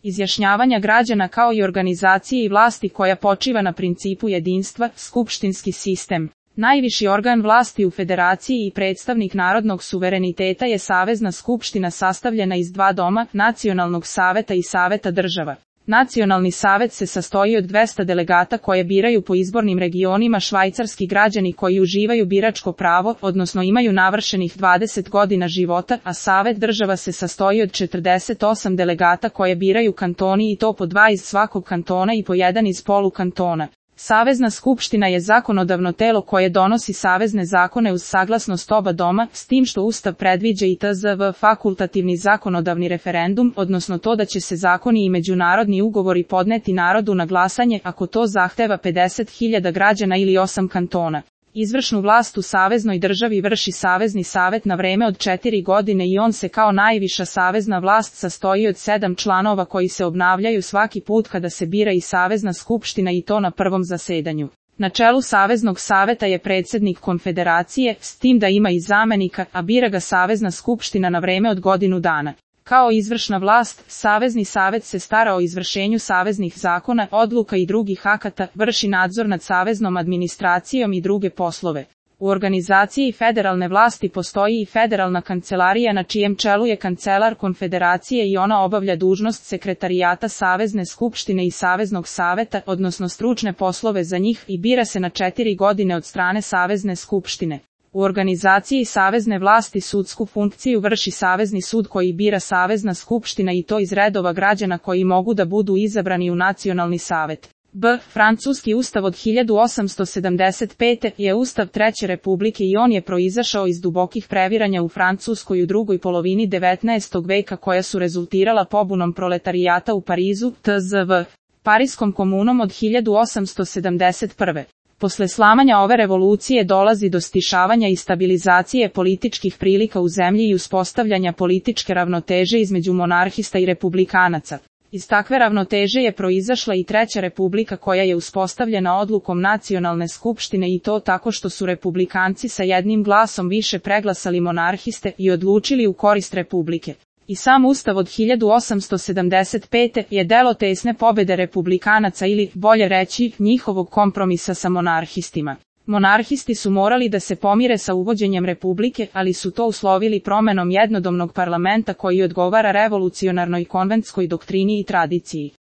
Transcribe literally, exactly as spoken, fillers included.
izjašnjavanja građana kao i organizacije i vlasti koja počiva na principu jedinstva, skupštinski sistem. Najviši organ vlasti u federaciji i predstavnik narodnog suvereniteta je Savezna skupština sastavljena iz dva doma, Nacionalnog saveta i Saveta država. Nacionalni savet se sastoji od dvesta delegata koje biraju po izbornim regionima švajcarski građani koji uživaju biračko pravo, odnosno imaju navršenih dvadeset godina života, a Savet država se sastoji od četrdeset osam delegata koje biraju kantoni i to po dva iz svakog kantona i po jedan iz polukantona. Savezna skupština je zakonodavno telo koje donosi savezne zakone uz saglasnost oba doma, s tim što Ustav predviđa i tzv. Fakultativni zakonodavni referendum, odnosno to da će se zakoni i međunarodni ugovori podneti narodu na glasanje ako to zahteva pedeset hiljada građana ili osam kantona. Izvršnu vlast u saveznoj državi vrši Savezni savet na vreme od četiri godine i on se kao najviša savezna vlast sastoji od sedam članova koji se obnavljaju svaki put kada se bira i Savezna skupština i to na prvom zasedanju. Na čelu Saveznog saveta je predsjednik konfederacije, s tim da ima i zamenika, a bira ga Savezna skupština na vreme od godinu dana. Kao izvršna vlast, Savezni savet se stara o izvršenju saveznih zakona, odluka i drugih akata, vrši nadzor nad saveznom administracijom i druge poslove. U organizaciji federalne vlasti postoji i federalna kancelarija na čijem čelu je kancelar konfederacije i ona obavlja dužnost sekretarijata Savezne skupštine i Saveznog saveta, odnosno stručne poslove za njih i bira se na četiri godine od strane Savezne skupštine. U organizaciji savezne vlasti sudsku funkciju vrši Savezni sud koji bira Savezna skupština i to iz redova građana koji mogu da budu izabrani u Nacionalni savet. B. Francuski ustav od hiljadu osamsto sedamdeset pete. je ustav Treće republike i on je proizašao iz dubokih previranja u Francuskoj u drugoj polovini devetnaestog veka koja su rezultirala pobunom proletarijata u Parizu, tzv. Pariskom komunom od hiljadu osamsto sedamdeset prve. Posle slamanja ove revolucije dolazi do stišavanja i stabilizacije političkih prilika u zemlji i uspostavljanja političke ravnoteže između monarhista i republikanaca. Iz takve ravnoteže je proizašla i Treća republika koja je uspostavljena odlukom Nacionalne skupštine i to tako što su republikanci sa jednim glasom više preglasali monarhiste i odlučili u korist republike. I sam ustav od hiljadu osamsto sedamdeset pete. je delo tesne pobede republikanaca ili, bolje reći, njihovog kompromisa sa monarhistima. Monarhisti su morali da se pomire sa uvođenjem republike, ali su to uslovili promenom jednodomnog parlamenta koji odgovara revolucionarnoj konventskoj doktrini i tradiciji.